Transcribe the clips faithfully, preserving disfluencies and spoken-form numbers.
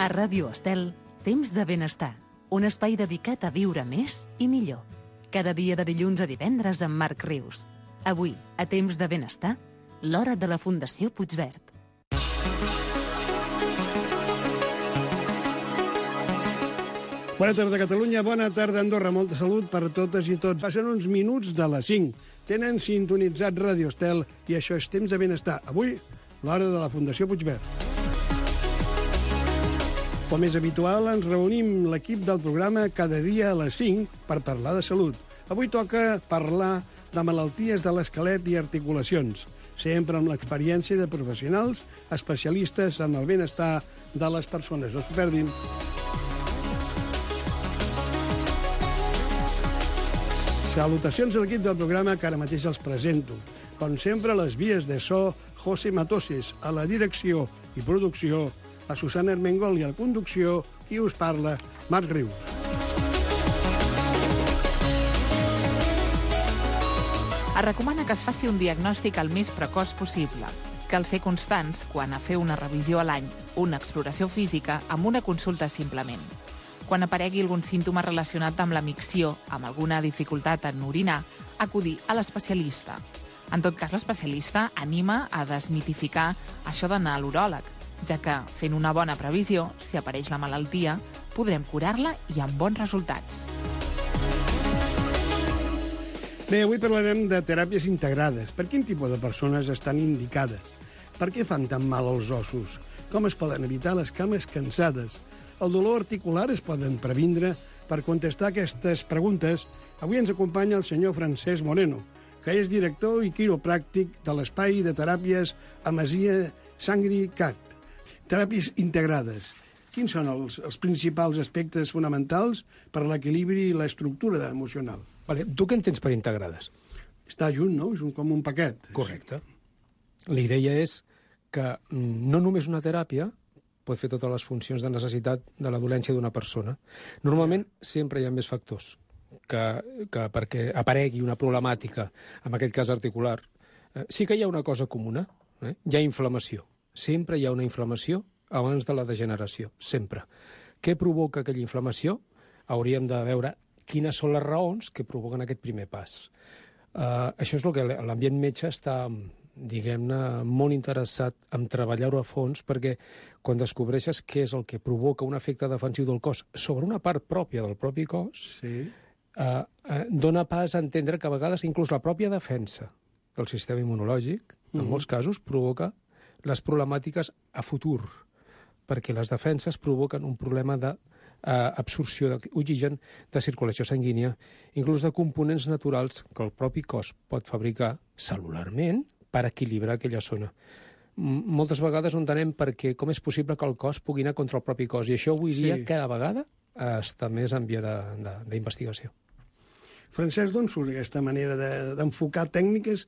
A Ràdio Estel, Temps de Benestar, un espai dedicat a viure més i millor. Cada dia de dilluns a divendres amb Marc Rius. Avui, a Temps de Benestar, l'hora de la Fundació Puigverd. Bona tarda, Catalunya. Bona tarda, Andorra. Molta salut per totes i tots. Passen uns minuts de les cinc. Tenen sintonitzat Ràdio Estel i això és Temps de Benestar. Avui, l'hora de la Fundació Puigverd. Com és habitual, ens reunim l'equip del programa cada dia a les cinc per parlar de salut. Avui toca parlar de malalties de l'esquelet i articulacions, sempre amb l'experiència de professionals especialistes en el benestar de les persones. No s'ho perdin. Salutacions a l'equip del programa que ara mateix els presento. Com sempre, a les vies de so, José Matoses, a la direcció i producció, a Susana Armengol i a la conducció, qui us parla, Marc Rius. Es recomana que es faci un diagnòstic el més precoç possible. Cal ser constants quan a fer una revisió a l'any, una exploració física amb una consulta simplement. Quan aparegui algun símptoma relacionat amb la micció, amb alguna dificultat en orinar, acudir a l'especialista. En tot cas, l'especialista anima a desmitificar això d'anar a l'uròleg, ja que, fent una bona previsió, si apareix la malaltia, podrem curar-la i amb bons resultats. Bé, avui parlarem de teràpies integrades. Per quin tipus de persones estan indicades? Per què fan tan mal als ossos? Com es poden evitar les cames cansades? El dolor articular es poden previndre? Per contestar aquestes preguntes, avui ens acompanya el senyor Francesc Moreno, que és director i quiropràctic de l'Espai de Teràpies Amasia Sangri Cat. Teràpies integrades. Quins són els, els principals aspectes fonamentals per a l'equilibri i l'estructura emocional? Vale, tu què entens per integrades? Està junt, no? És un, com un paquet. Correcte. La idea és que no només una teràpia pot fer totes les funcions de necessitat de la dolència d'una persona. Normalment sempre hi ha més factors que, que perquè aparegui una problemàtica, en aquest cas articular. Eh, sí que hi ha una cosa comuna, eh? Hi ha inflamació. Sempre hi ha una inflamació abans de la degeneració, sempre. Què provoca aquella inflamació? Hauríem de veure quines són les raons que provoquen aquest primer pas. Uh, això és el que l'ambient metge està, diguem-ne, molt interessat en treballar-ho a fons, perquè quan descobreixes què és el que provoca un efecte defensiu del cos sobre una part pròpia del propi cos, sí. uh, uh, dona pas a entendre que a vegades inclús la pròpia defensa del sistema immunològic, en mm-hmm. molts casos, provoca les problemàtiques a futur, perquè les defenses provoquen un problema d'absorció uh, d'oxigen, de circulació sanguínia, inclús de components naturals que el propi cos pot fabricar celularment per equilibrar aquella zona. M moltes vegades no entenem perquè com és possible que el cos pugui anar contra el propi cos, i això avui dia sí. cada vegada uh, està més en via d'investigació. Francesc, d'on surt aquesta manera d'enfocar de, tècniques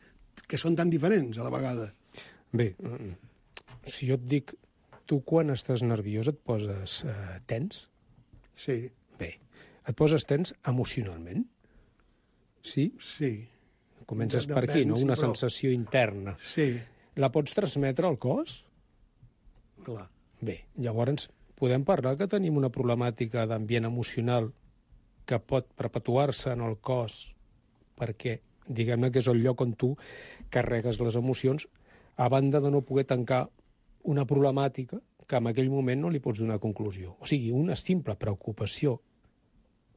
que són tan diferents a la vegada? Bé, si jo et dic, tu quan estàs nerviós et poses eh, tens? Sí. Bé, et poses tens emocionalment? Sí? Sí. Comences per aquí, no? Una però... sensació interna. Sí. La pots transmetre al cos? Clar. Bé, llavors podem parlar que tenim una problemàtica d'ambient emocional que pot perpetuar-se en el cos perquè, diguem-ne, que és el lloc on tu carregues les emocions, a banda de no poder tancar una problemàtica que en aquell moment no li pots donar conclusió. O sigui, una simple preocupació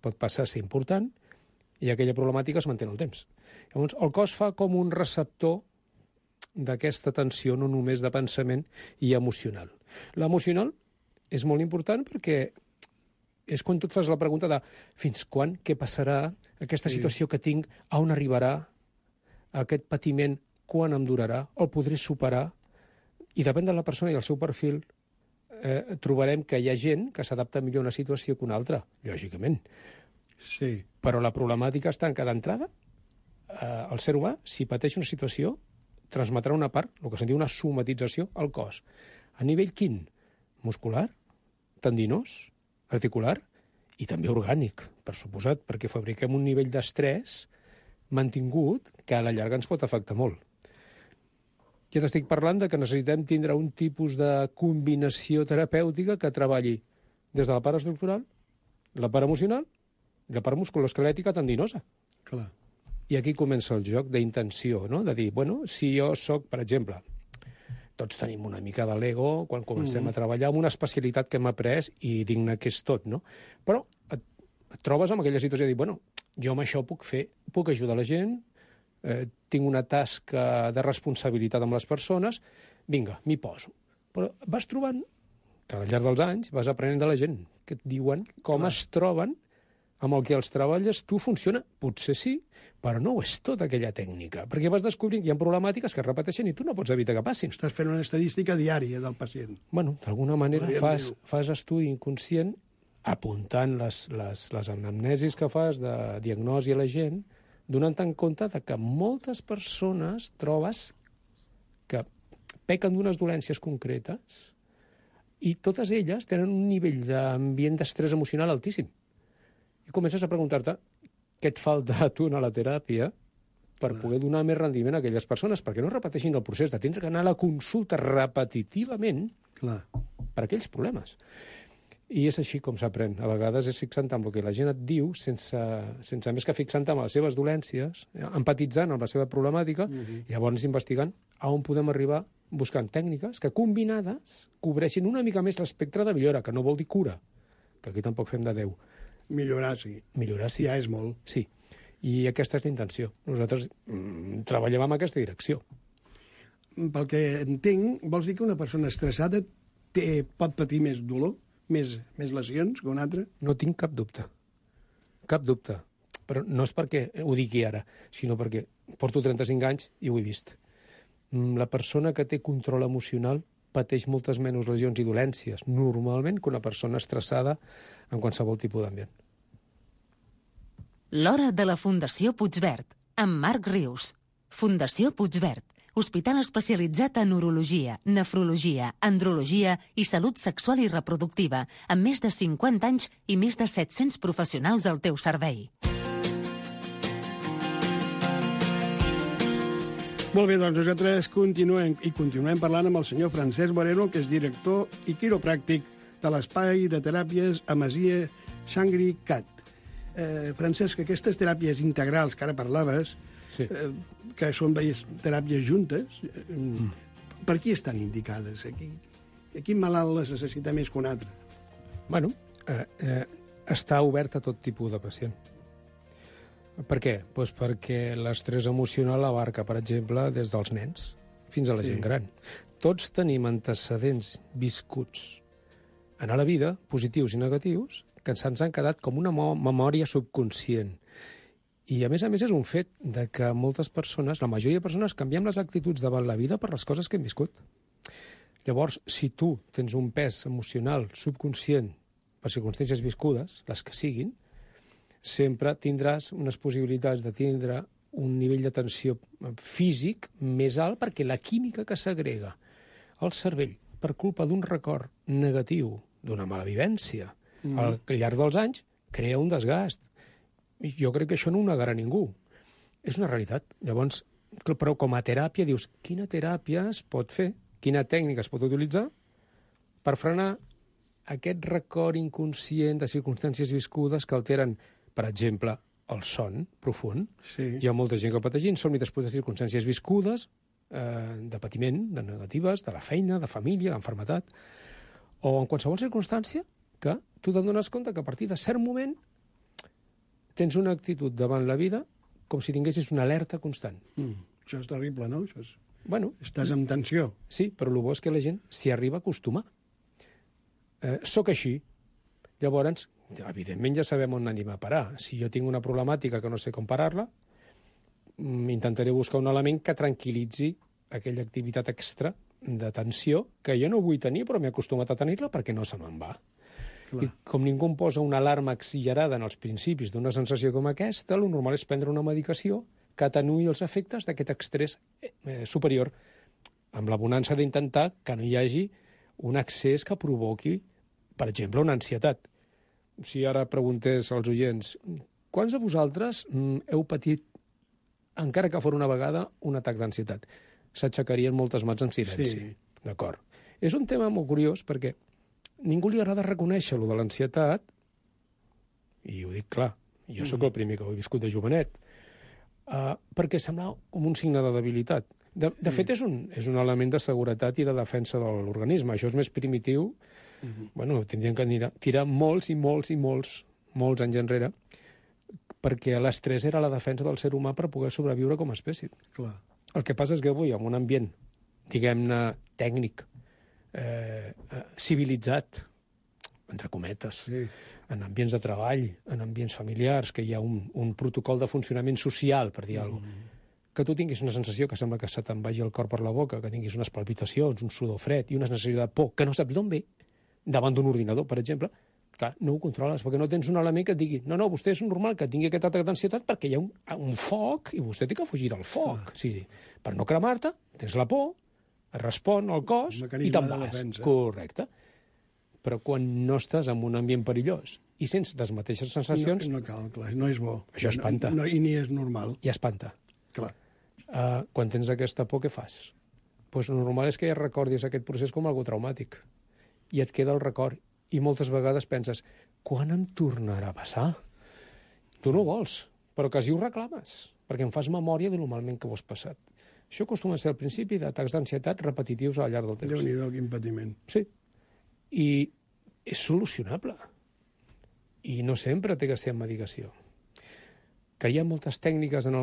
pot passar a ser important i aquella problemàtica es manté en el temps. Llavors, el cos fa com un receptor d'aquesta tensió, no només de pensament i emocional. L'emocional és molt important perquè és quan tu et fas la pregunta de fins quan, què passarà, aquesta sí. situació que tinc, a on arribarà, aquest patiment, quan em durarà, el podré superar, i depèn de la persona i el seu perfil, eh, trobarem que hi ha gent que s'adapta millor a una situació que una altra, lògicament. Sí. Però la problemàtica està en que d'entrada, eh, el ser humà, si pateix una situació, transmetrà una part, el que se'n diu una somatització, al cos. A nivell quin? Muscular, tendinós, articular i també orgànic, per suposat, perquè fabriquem un nivell d'estrès mantingut que a la llarga ens pot afectar molt. Ja t'estic parlant de que necessitem tindre un tipus de combinació terapèutica que treballi des de la part estructural, la part emocional i la part musculoesquelètica tendinosa. Clar. I aquí comença el joc d'intenció, no? De dir, bueno, si jo sóc, per exemple, tots tenim una mica de l'ego quan comencem mm. a treballar amb una especialitat que hem après i digne que és tot, no? Però et, et trobes amb aquella situació de dir, bueno, jo amb això puc fer, puc ajudar la gent, eh, tinc una tasca de responsabilitat amb les persones, vinga, m'hi poso. Però vas trobant que al llarg dels anys vas aprenent de la gent, que et diuen com Clar. es troben amb el que els treballes, tu funciona, potser sí, però no ho és tota aquella tècnica, perquè vas descobrint que hi ha problemàtiques que es repeteixen i tu no pots evitar que passin. Estàs fent una estadística diària del pacient. Bueno, d'alguna manera fas, fas estudi inconscient apuntant les, les, les anamnesis que fas de diagnosi a la gent, donant en compte de que moltes persones trobes que pequen d'unes dolències concretes i totes elles tenen un nivell d'ambient d'estrès emocional altíssim. I comences a preguntar-te què et falta a tu a la teràpia per Clar. poder donar més rendiment a aquelles persones, perquè no repeteixin el procés de tindre que anar a la consulta repetitivament Clar. per aquells problemes. I és així com s'aprèn. A vegades és fixant amb el que la gent et diu, sense, sense més que fixant amb les seves dolències, empatitzant amb la seva problemàtica, uh-huh. i llavors investigant a on podem arribar buscant tècniques que combinades cobreixin una mica més l'espectre de millora, que no vol dir cura, que aquí tampoc fem de Déu. Millorar, sí. Millorar, sí. Ja és molt. Sí. I aquesta és la intenció. Nosaltres mm, treballem en aquesta direcció. Pel que entenc, vols dir que una persona estressada té, pot patir més dolor, més, més lesions que una altra? No tinc cap dubte. Cap dubte. Però no és perquè ho digui ara, sinó perquè porto trenta-cinc anys i ho he vist. La persona que té control emocional pateix moltes menys lesions i dolències, normalment, que una persona estressada en qualsevol tipus d'ambient. L'hora de la Fundació Puigverd, amb Marc Rius. Fundació Puigverd, hospital especialitzat en urologia, nefrologia, andrologia i salut sexual i reproductiva, amb més de cinquanta anys i més de set-cents professionals al teu servei. Molt bé, doncs nosaltres continuem i continuem parlant amb el senyor Francesc Moreno, que és director i quiropràctic de l'espai de teràpies Amasia Xangri Cat. Eh, Francesc, aquestes teràpies integrals que ara parlaves, sí. eh, que són diverses teràpies juntes, eh, mm. per qui estan indicades? Aquí, quin malalt les necessita més que un altre? Bueno, eh, eh, està obert a tot tipus de pacient. Per què? Pues perquè l'estrès emocional abarca, per exemple, des dels nens fins a la sí. gent gran. Tots tenim antecedents viscuts en la vida, positius i negatius, que se'ns han quedat com una memòria subconscient. I, a més a més, és un fet de que moltes persones, la majoria de persones, canviem les actituds davant la vida per les coses que hem viscut. Llavors, si tu tens un pes emocional subconscient per circumstàncies viscudes, les que siguin, sempre tindràs unes possibilitats de tindre un nivell de tensió físic més alt perquè la química que s'agrega al cervell per culpa d'un record negatiu, d'una mala vivència, mm. al llarg dels anys, crea un desgast. Jo crec que això no ho negarà ningú. És una realitat. Llavors, però com a teràpia dius, quina teràpia es pot fer? Quina tècnica es pot utilitzar per frenar aquest record inconscient de circumstàncies viscudes que alteren, per exemple, el son profund. Sí. Hi ha molta gent que pateix insomni després de circumstàncies viscudes, eh, de patiment, de negatives, de la feina, de família, d'enfermetat, o en qualsevol circumstància que tu te'n dones compte que a partir de cert moment tens una actitud davant la vida com si tinguessis una alerta constant. Mm, això és terrible, no? Això és... Bueno, estàs en tensió. Sí, però el bo és que la gent s'hi arriba a acostumar. Eh, soc així. Llavors, evidentment ja sabem on anem a parar. Si jo tinc una problemàtica que no sé com parar-la, intentaré buscar un element que tranquil·litzi aquella activitat extra de tensió que jo no vull tenir, però m'he acostumat a tenir-la perquè no se me'n va. Clar. I com ningú em posa una alarma exagerada en els principis d'una sensació com aquesta, el normal és prendre una medicació que atenuï els efectes d'aquest estrès eh, superior, amb la bonança d'intentar que no hi hagi un excés que provoqui, per exemple, una ansietat. Si ara preguntés als oients, quants de vosaltres mm, heu patit, encara que fos una vegada, un atac d'ansietat? S'aixecarien moltes mans en silenci. Sí. D'acord. És un tema molt curiós perquè ningú li agrada reconèixer lo de l'ansietat, i ho dic clar, jo sóc el primer que ho he viscut de jovenet, uh, perquè semblava com un signe de debilitat. De, de fet, és un, és un element de seguretat i de defensa de l'organisme. Això és més primitiu. Uh-huh. Bueno, tindrien que tirar, tirar molts i molts i molts, molts anys enrere, perquè l'estrès era la defensa del ser humà per poder sobreviure com a espècie. Clar. El que passa és que avui, en un ambient, diguem-ne, tècnic, eh, eh, civilitzat, entre cometes, sí. en ambients de treball, en ambients familiars, que hi ha un, un protocol de funcionament social, per dir mm. alguna cosa, que tu tinguis una sensació que sembla que se te'n vagi el cor per la boca, que tinguis unes palpitacions, un sudor fred i una sensació de por que no saps d'on ve, davant d'un ordinador, per exemple, clar, no ho controles, perquè no tens un element que et digui no, no, vostè és normal que tingui aquest atac d'ansietat perquè hi ha un, un foc i vostè té que fugir del foc. Ah. Sí, per no cremar-te, tens la por, respon al cos i te'n vas. Defensa. Correcte. Però quan no estàs en un ambient perillós i sents les mateixes sensacions... No, no cal, clar, no és bo. Això espanta. No, no, I ni és normal. I espanta. Clar. Uh, quan tens aquesta por, què fas? Pues el normal és que ja recordis aquest procés com algo traumàtic. I et queda el record. I moltes vegades penses, quan em tornarà a passar? Tu no vols, però quasi ho reclames, perquè em fas memòria de lo malament que ho has passat. Això acostuma a ser el principi d'atacs d'ansietat repetitius al llarg del temps. Déu-n'hi-do, quin patiment. Sí. I és solucionable. I no sempre té que ser amb medicació. Que hi ha moltes tècniques en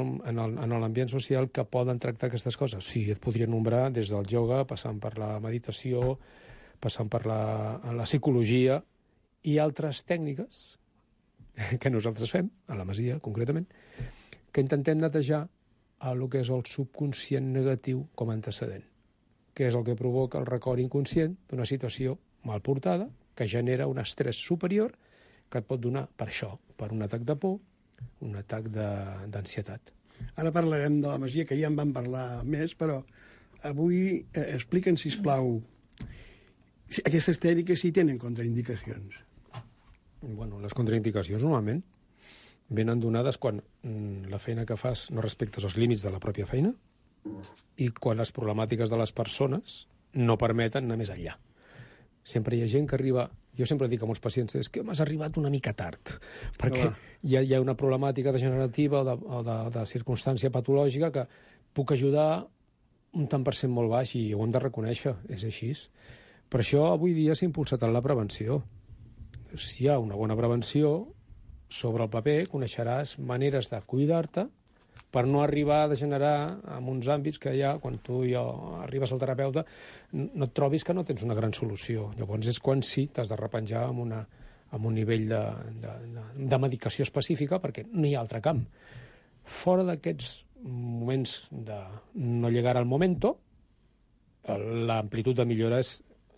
l'ambient social que poden tractar aquestes coses. Sí, et podria nombrar des del ioga, passant per la meditació, passant per la, la psicologia i altres tècniques que nosaltres fem, a la Masia concretament, que intentem netejar el que és el subconscient negatiu com a antecedent, que és el que provoca el record inconscient d'una situació mal portada, que genera un estrès superior que et pot donar per això, per un atac de por, un atac d'ansietat. Ara parlarem de la Masia, que ja en vam parlar més, però avui eh, expliquen, sisplau, aquestes tècniques sí tenen contraindicacions. Bueno, les contraindicacions normalment venen donades quan mm, la feina que fas no respectes els límits de la pròpia feina i quan les problemàtiques de les persones no permeten anar més enllà. Sempre hi ha gent que arriba... Jo sempre dic a molts pacients, és que m'has arribat una mica tard, perquè hi ha, hi ha una problemàtica degenerativa o de, o de, de circumstància patològica que puc ajudar un tant per cent molt baix i ho hem de reconèixer, és així. Per això avui dia s'ha impulsat en la prevenció. Si hi ha una bona prevenció, sobre el paper coneixeràs maneres de cuidar-te per no arribar a degenerar en uns àmbits que ja, quan tu ja arribes al terapeuta, no et trobis que no tens una gran solució. Llavors és quan sí t'has de repenjar amb, una, amb un nivell de, de, de, de medicació específica perquè no hi ha altre camp. Fora d'aquests moments de no llegar al momento, l'amplitud de millora és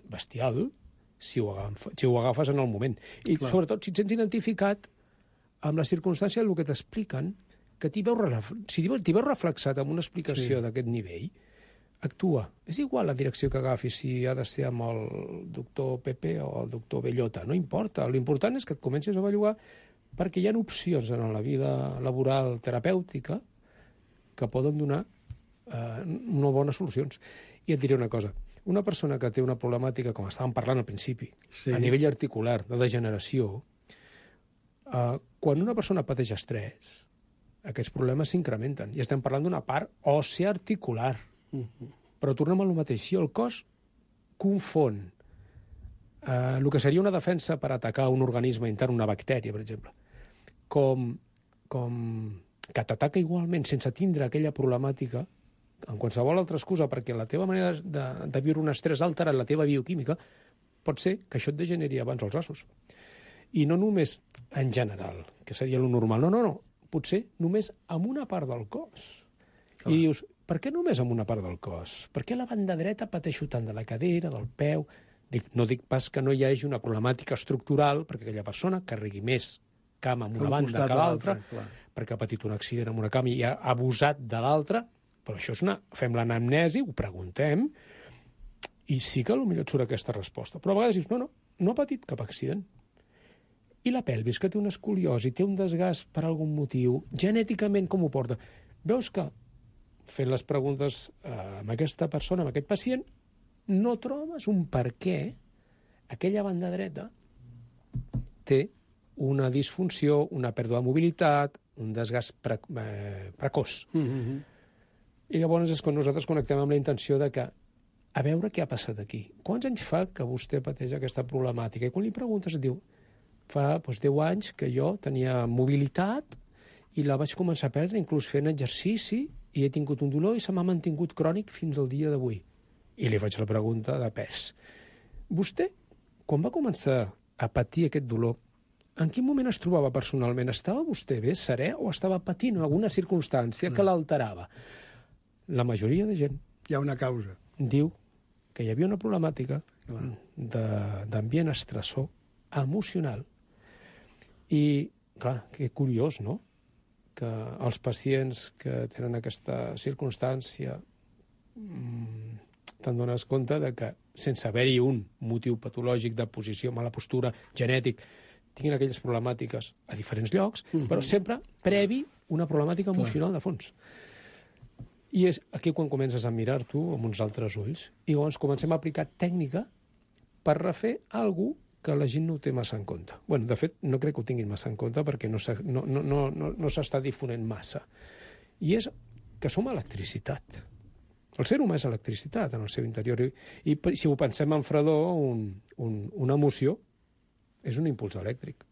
bestial si ho, agafes, si ho agafes en el moment. I Clar. Sobretot si et sents identificat amb la circumstància del que t'expliquen, que t'hi veus, si t'hi veus reflexat amb una explicació sí. d'aquest nivell, actua. És igual la direcció que agafis, si ha de ser amb el doctor Pepe o el doctor Bellota, no importa. L'important és que et comencis a bellugar perquè hi ha opcions en la vida laboral terapèutica que poden donar eh, unes bones solucions. I et diré una cosa. Una persona que té una problemàtica, com estàvem parlant al principi, sí. a nivell articular, de degeneració, eh, quan una persona pateix estrès, aquests problemes s'incrementen. I estem parlant d'una part òssia articular. Uh-huh. Però tornem a lo mateix. Si el cos confon eh, el que seria una defensa per atacar un organisme intern, una bactèria, per exemple, com, com que t'ataca igualment sense tindre aquella problemàtica, en qualsevol altra excusa, perquè la teva manera de, de viure un estrès ha alterat la teva bioquímica, pot ser que això et degeneri abans els ossos. I no només en general, que seria lo normal. No, no, no. Potser només amb una part del cos. Clar. I dius, per què només amb una part del cos? Per què la banda dreta pateixo tant de la cadera, del peu? Dic, no dic pas que no hi hagi una problemàtica estructural perquè aquella persona carregui més cama amb una banda que l'altra, perquè ha patit un accident amb una cama i ha abusat de l'altra, però això és una... Fem l'anamnesi, ho preguntem, i sí que potser et surt aquesta resposta. Però a vegades dius, no, no, no ha patit cap accident. I la pelvis, que té una escoliosi, té un desgast per algun motiu, genèticament com ho porta? Veus que, fent les preguntes eh, amb aquesta persona, amb aquest pacient, no trobes un per què aquella banda dreta té una disfunció, una pèrdua de mobilitat, un desgast pre eh, precoç. Mm-hmm. I llavors és quan nosaltres connectem amb la intenció de que a veure què ha passat aquí. Quants anys fa que vostè pateix aquesta problemàtica? I quan li preguntes et diu fa doncs, deu anys que jo tenia mobilitat i la vaig començar a perdre, inclús fent exercici, i he tingut un dolor i se m'ha mantingut crònic fins al dia d'avui. I li faig la pregunta de pes. Vostè, quan va començar a patir aquest dolor, en quin moment es trobava personalment? Estava vostè bé, serè, o estava patint alguna circumstància que l'alterava? La majoria de gent Hi ha una causa. diu que hi havia una problemàtica d'ambient estressor emocional. I, clar, que curiós, no?, que els pacients que tenen aquesta circumstància mmm, te'n dones compte de que, sense haver-hi un motiu patològic de posició, mala postura, genètic, tinguin aquelles problemàtiques a diferents llocs, mm-hmm. però sempre previ una problemàtica emocional de fons. I és aquí quan comences a mirar-t'ho amb uns altres ulls i llavors comencem a aplicar tècnica per refer alguna cosa que la gent no ho té massa en compte. Bueno, de fet, no crec que ho tinguin massa en compte perquè no s'està no, no, no, no, no s'està difonent massa. I és que som electricitat. El ser humà és electricitat en el seu interior. I, i si ho pensem en fredor, un, un, una emoció és un impuls elèctric.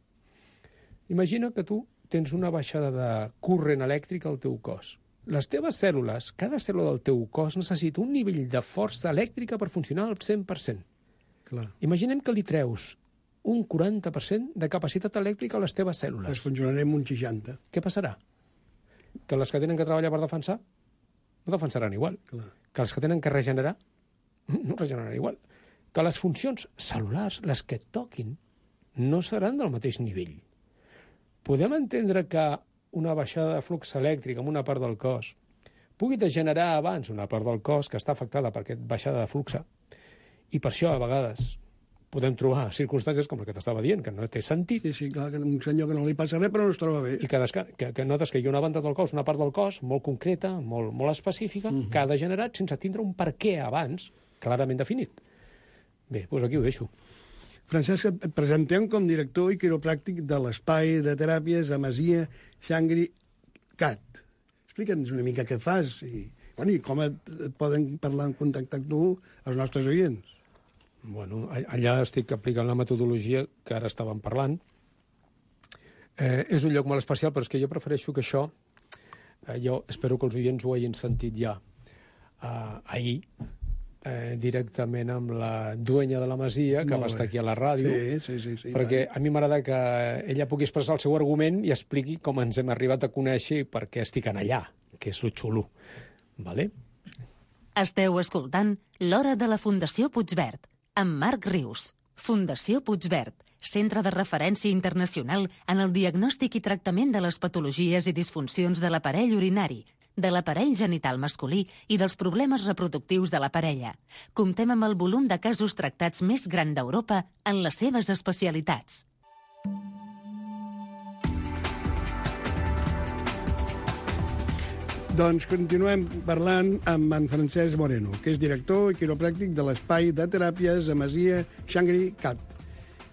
Imagina que tu tens una baixada de corrent elèctric al teu cos. Les teves cèl·lules, cada cèl·lula del teu cos necessita un nivell de força elèctrica per funcionar al cent per cent. Clar. Imaginem que li treus un quaranta per cent de capacitat elèctrica a les teves cèl·lules. Es funcionarem un seixanta. Què passarà? Que les que tenen que treballar per defensar no defensaran igual. Clar. Que les que tenen que regenerar no regeneraran igual. Que les funcions cel·lulars, les que et toquin, no seran del mateix nivell. Podem entendre que una baixada de flux elèctric en una part del cos pugui degenerar abans una part del cos que està afectada per aquesta baixada de flux. I per això, a vegades, podem trobar circumstàncies com el que t'estava dient, que no té sentit. Sí, sí, clar, que un senyor que no li passa res, però no es troba bé. I que, que, que notes que hi ha una banda del cos, una part del cos, molt concreta, molt, molt específica, uh-huh. que ha degenerat sense tindre un per què abans clarament definit. Bé, doncs aquí ho deixo. Francesc, et presentem com director i quiropràctic de l'espai de teràpies a Masia Shangri-Cat. Explica'ns una mica què fas i, bueno, i com et, et poden parlar en contacte amb tu els nostres oients. Bueno, allà estic aplicant la metodologia que ara estàvem parlant. Eh, és un lloc molt especial, però és que jo prefereixo que això, eh, jo espero que els oients ho hagin sentit ja eh, ahir, eh, directament amb la duenya de la Masia, que va estar aquí a la ràdio, sí, sí, sí, sí, perquè tant. a mi m'agrada que ella pugui expressar el seu argument i expliqui com ens hem arribat a conèixer i per què estic en allà, que és lo xulo. Vale? Esteu escoltant L'Hora de la Fundació Puigverd, amb Marc Rius. Fundació Puigverd, centre de referència internacional en el diagnòstic i tractament de les patologies i disfuncions de l'aparell urinari, de l'aparell genital masculí i dels problemes reproductius de la parella. Comptem amb el volum de casos tractats més gran d'Europa en les seves especialitats. Doncs continuem parlant amb en Francesc Moreno, que és director i quiropràctic de l'espai de teràpies a Masia Shangri-Cat.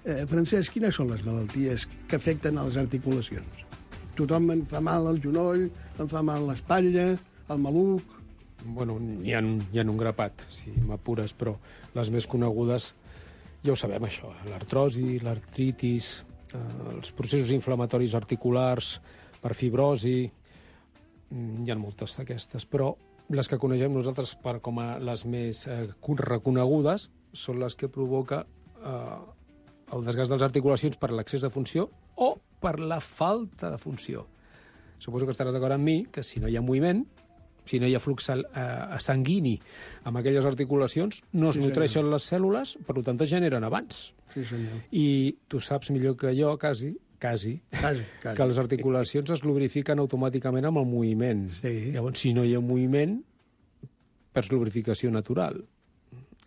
Eh, Francesc, quines són les malalties que afecten a les articulacions? Tothom em fa mal el genoll, em fa mal l'espatlla, el maluc... Bueno, hi ha, hi ha un grapat, si m'apures, però les més conegudes ja ho sabem, això. L'artrosi, l'artritis, eh, els processos inflamatoris articulars per fibrosi... Hi ha moltes d'aquestes, però les que coneixem nosaltres per com a les més eh, reconegudes són les que provoca eh, el desgast de les articulacions per l'excés de funció o per la falta de funció. Suposo que estaràs d'acord amb mi que si no hi ha moviment, si no hi ha flux eh, sanguini amb aquelles articulacions, no es sí, nutreixen les cèl·lules, per tant es generen abans. Sí, senyor. I tu saps millor que jo, quasi, Quasi, quasi, quasi, que les articulacions es lubrifiquen automàticament amb el moviment. Sí. Llavors, si no hi ha moviment, perds lubrificació natural.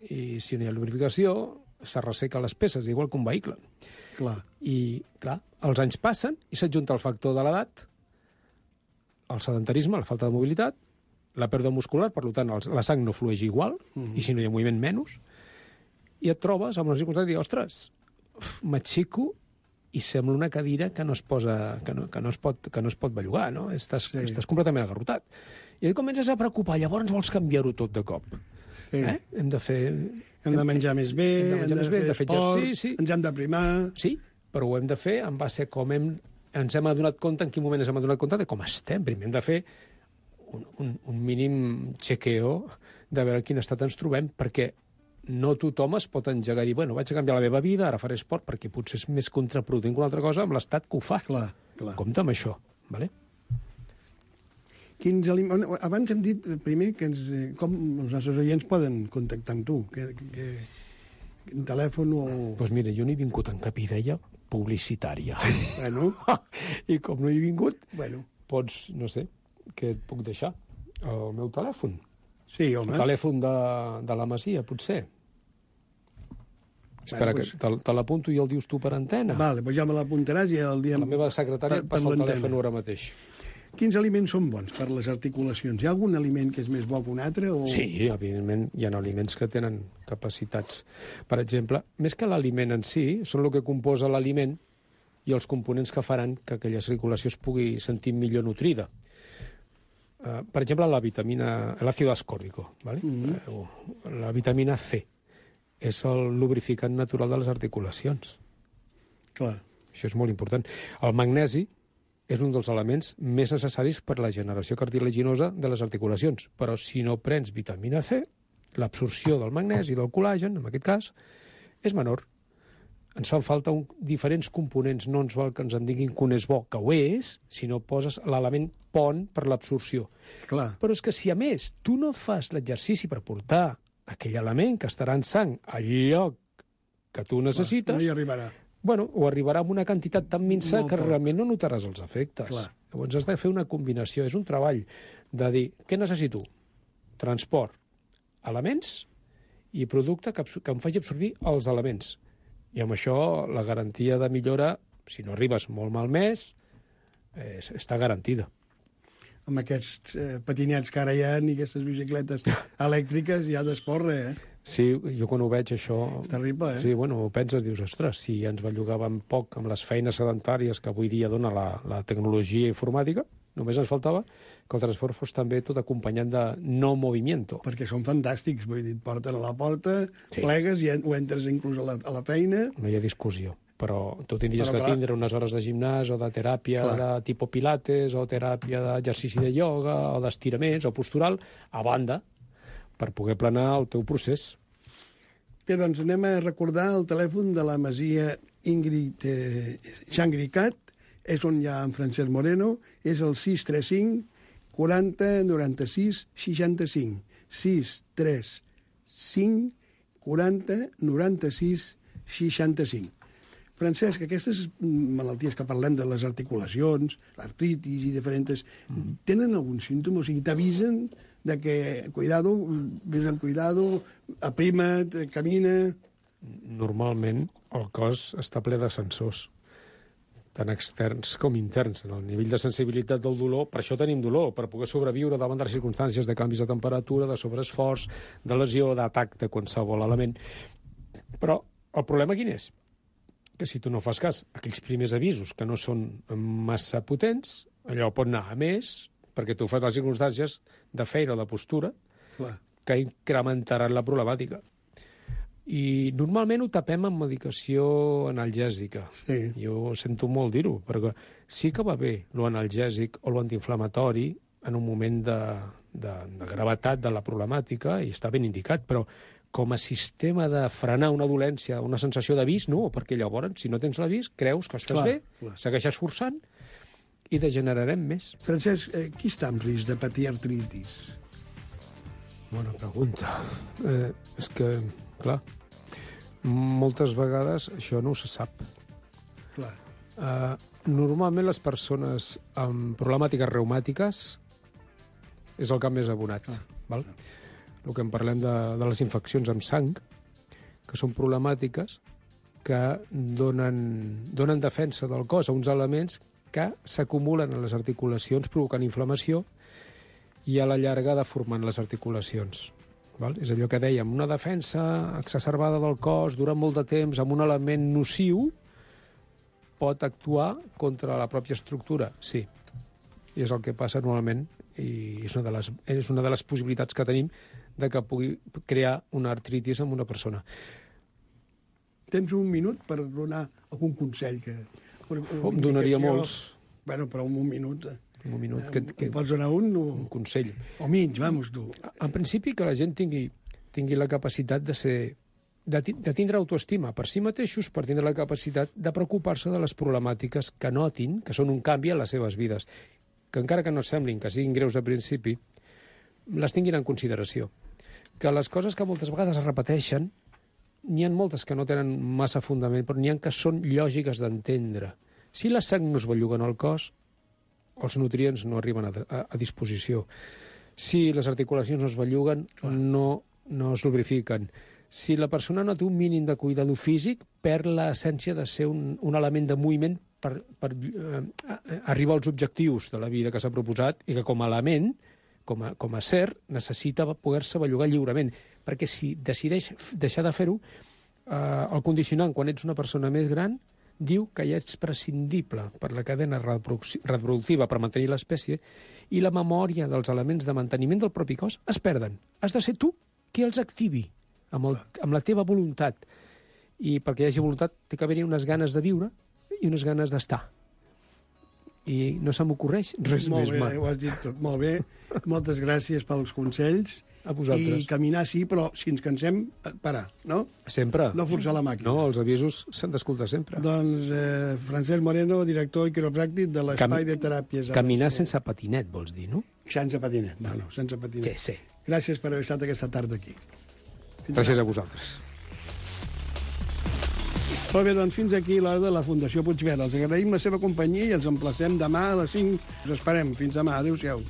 I si no hi ha lubrificació, se resseca les peces, igual que un vehicle. Clar. I, clar, els anys passen i s'adjunta el factor de l'edat, el sedentarisme, la falta de mobilitat, la pèrdua muscular, per tant, la sang no flueix igual, uh-huh. i si no hi ha moviment, menys, i et trobes amb una circumstància de dir, ostres, m'aixeco i sembla una cadira que no es, posa, que no, que no es, pot, que no es pot bellugar, no? Estàs, sí. estàs completament agarrotat. I et comences a preocupar, llavors vols canviar-ho tot de cop. Sí. Eh? Hem de fer... Hem de menjar més bé, hem de, hem de, bé, fer, de fer esport, exercici. Ens hem de primar... Sí, però ho hem de fer en base a com hem, ens hem adonat compte, en quin moment ens hem adonat compte de com estem. Primer hem de fer un, un, un mínim chequeo de veure en quin estat ens trobem, perquè no tothom es pot engegar i dir, bueno, vaig a canviar la meva vida, ara faré esport, perquè potser és més contraproduent que una altra cosa amb l'estat que ho fa. Clar, clar. Compte amb això, vale? Quins alim... Abans hem dit primer que ens, com els nostres oients poden contactar amb tu, que, que, que telèfon o... Doncs pues mira, jo no he vingut en cap idea publicitària. Bueno. I com no he vingut, bueno. Pots, no sé, què et puc deixar? El meu telèfon. Sí, home. El telèfon de, de la Masia, potser. Espera, bueno, pues... que te, te l'apunto i el dius tu per antena. Vale, doncs ja me l'apuntaràs i el dia... La meva secretària per, passa el telèfon ara mateix. Quins aliments són bons per les articulacions? Hi ha algun aliment que és més bo que un altre? O... Sí, evidentment, hi ha aliments que tenen capacitats. Per exemple, més que l'aliment en si, són el que composa l'aliment i els components que faran que aquella circulació es pugui sentir millor nutrida. Uh, per exemple, la vitamina... l'àcido ascòrbico, ¿vale? Mm-hmm. uh, la vitamina C és el lubrificant natural de les articulacions. Clar. Això és molt important. El magnesi és un dels elements més necessaris per a la generació cartilaginosa de les articulacions. Però si no prens vitamina C, l'absorció del magnesi i del col·làgen, en aquest cas, és menor. Ens fan falta un, diferents components. No ens val que ens en diguin que un és bo, que ho és, si no poses l'element pont per l'absorció. Clar. Però és que si, a més, tu no fas l'exercici per portar aquell element que estarà en sang al lloc que tu necessites... Clar, no hi arribarà. Bueno, o arribarà amb una quantitat tan minsa que realment no notaràs els efectes. Clar. Llavors has de fer una combinació. És un treball de dir, què necessito? Transport, elements i producte que, que em faci absorbir els elements. I amb això la garantia de millora, si no arribes molt malmès, eh, està garantida. Amb aquests eh, patinets que ara hi ha i aquestes bicicletes elèctriques ja d'esport, eh? Sí, jo quan ho veig això... És terrible, eh? Sí, bueno, ho penses, dius, ostres, si ens bellugàvem poc amb les feines sedentàries que avui dia dona la, la tecnologia informàtica, només ens faltava que el transport fos també tot acompanyant de no movimiento. Perquè són fantàstics, vull dir, et porten a la porta, sí. Plegues i ho entres inclús a la, a la feina... No hi ha discussió. Però tu tindries però, que clar, tindre unes hores de gimnàs o de teràpia clar. de tipus pilates o teràpia d'exercici de ioga o d'estiraments o postural a banda per poder planar el teu procés. Bé, doncs anem a recordar el telèfon de la Masia Ingrid eh, Xangricat, és on hi ha en Francesc Moreno, és el sis tres cinc quaranta noranta-sis seixanta-cinc. sis tres cinc quaranta noranta-sis seixanta-cinc. Francesc, aquestes malalties que parlem de les articulacions, l'artritis i diferents, mm. tenen algun símptoma? O sigui, t'avisen de que, cuidado, vés amb cuidado, aprima't, camina... Normalment el cos està ple de sensors, tant externs com interns. En el nivell de sensibilitat del dolor, per això tenim dolor, per poder sobreviure davant de les circumstàncies de canvis de temperatura, de sobreesforç, de lesió, d'atac de qualsevol element. Però el problema quin és? Que si tu no fas cas a aquells primers avisos que no són massa potents, allò pot anar a més, perquè tu fas les circumstàncies de feina o de postura clar. Que incrementaran la problemàtica. I normalment ho tapem amb medicació analgèsica. Sí. Jo sento molt dir-ho, perquè sí que va bé l'analgèsic o l'antiinflamatori en un moment de, de, de gravetat de la problemàtica, i està ben indicat, però com a sistema de frenar una dolència, una sensació d'avís, no, perquè llavors, si no tens l'avís, creus que estàs clar, bé, clar. Segueixes forçant i degenerarem més. Francesc, eh, qui està en risc de patir artritis? Bona pregunta. Eh, és que, clar, moltes vegades això no se sap. Clar. Eh, normalment les persones amb problemàtiques reumàtiques és el camp més abonat. Clar. Val? Clar. El que en parlem de, de les infeccions amb sang, que són problemàtiques que donen, donen defensa del cos a uns elements que s'acumulen a les articulacions provocant inflamació i a la llarga deformant les articulacions. Val? És allò que dèiem, una defensa exacerbada del cos durant molt de temps amb un element nociu pot actuar contra la pròpia estructura, sí. I és el que passa normalment i és una de les, és una de les possibilitats que tenim de que pugui crear una artritis en una persona. Tens un minut per donar algun consell que... Oh, em donaria molts. Bueno, però un minut... Un minut que, que... Em pots donar un? O... Un consell. O mig, vamos, tu. En principi, que la gent tingui, tingui la capacitat de ser... De, de tindre autoestima per si mateixos, per tindre la capacitat de preocupar-se de les problemàtiques que notin, que són un canvi en les seves vides, que encara que no semblin que siguin greus de principi, les tinguin en consideració. Que les coses que moltes vegades es repeteixen, n'hi ha moltes que no tenen massa fundament, però n'hi ha que són lògiques d'entendre. Si la sang no es belluga en el cos, els nutrients no arriben a, a, a disposició. Si les articulacions no es belluguen, no, no es lubrifiquen. Si la persona no té un mínim de cuidado físic, perd l'essència de ser un, un element de moviment per, per eh, arribar als objectius de la vida que s'ha proposat i que com a element, com a, com a ser, necessita poder-se bellugar lliurement. Perquè si decideix deixar de fer-ho, eh, el condicionant, quan ets una persona més gran, diu que ja ets prescindible per la cadena reproductiva per mantenir l'espècie i la memòria dels elements de manteniment del propi cos es perden. Has de ser tu qui els activi amb, el, amb la teva voluntat. I perquè hi hagi voluntat té que haver-hi unes ganes de viure i unes ganes d'estar. I no se m'ocorreix res Molt més. Molt bé, mal. ho has dit tot. Molt bé. Moltes gràcies pels consells. A vosaltres. I caminar sí, però si ens cansem, parar, no? Sempre. No forçar la màquina. No, els avisos s'han d'escoltar sempre. Doncs eh, Francesc Moreno, director i quiropràctic de l'Espai Cam... de Teràpies. Caminar sense patinet, vols dir, no? Sense patinet, no, no, sense patinet. Sí, sí. Gràcies per haver estat aquesta tarda aquí. Fins Gràcies ara. a vosaltres. Molt bé, doncs fins aquí l'hora de la Fundació Puigverd. Els agraïm la seva companyia i els emplacem demà a les cinc. Us esperem. Fins demà. Adéu-siau.